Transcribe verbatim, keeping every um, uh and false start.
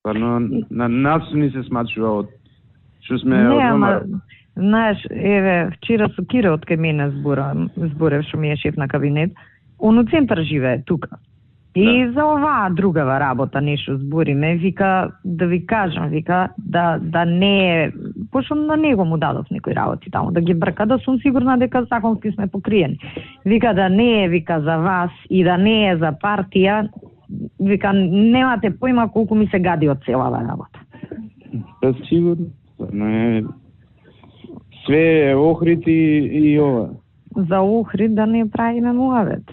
Стварно, на нас ни се смачува од што сме Не, од ама, знаеш, еве, вчера со Кире од кај мене збора, зборев што ми е шеф на кабинет, он у центар живее тука. И да. За оваа другава работа нешто збориме, вика да ви кажам, вика да да не е, пошто на него му дадов некои работи таму да ги брка, да сум сигурна дека законски сме покриени. Вика да не е, вика за вас и да не е за партија, вика немате појма колку ми се гади од целава работа. Па сигурно, не све Охрид и, и ова. За Охрид да не правиме муавет.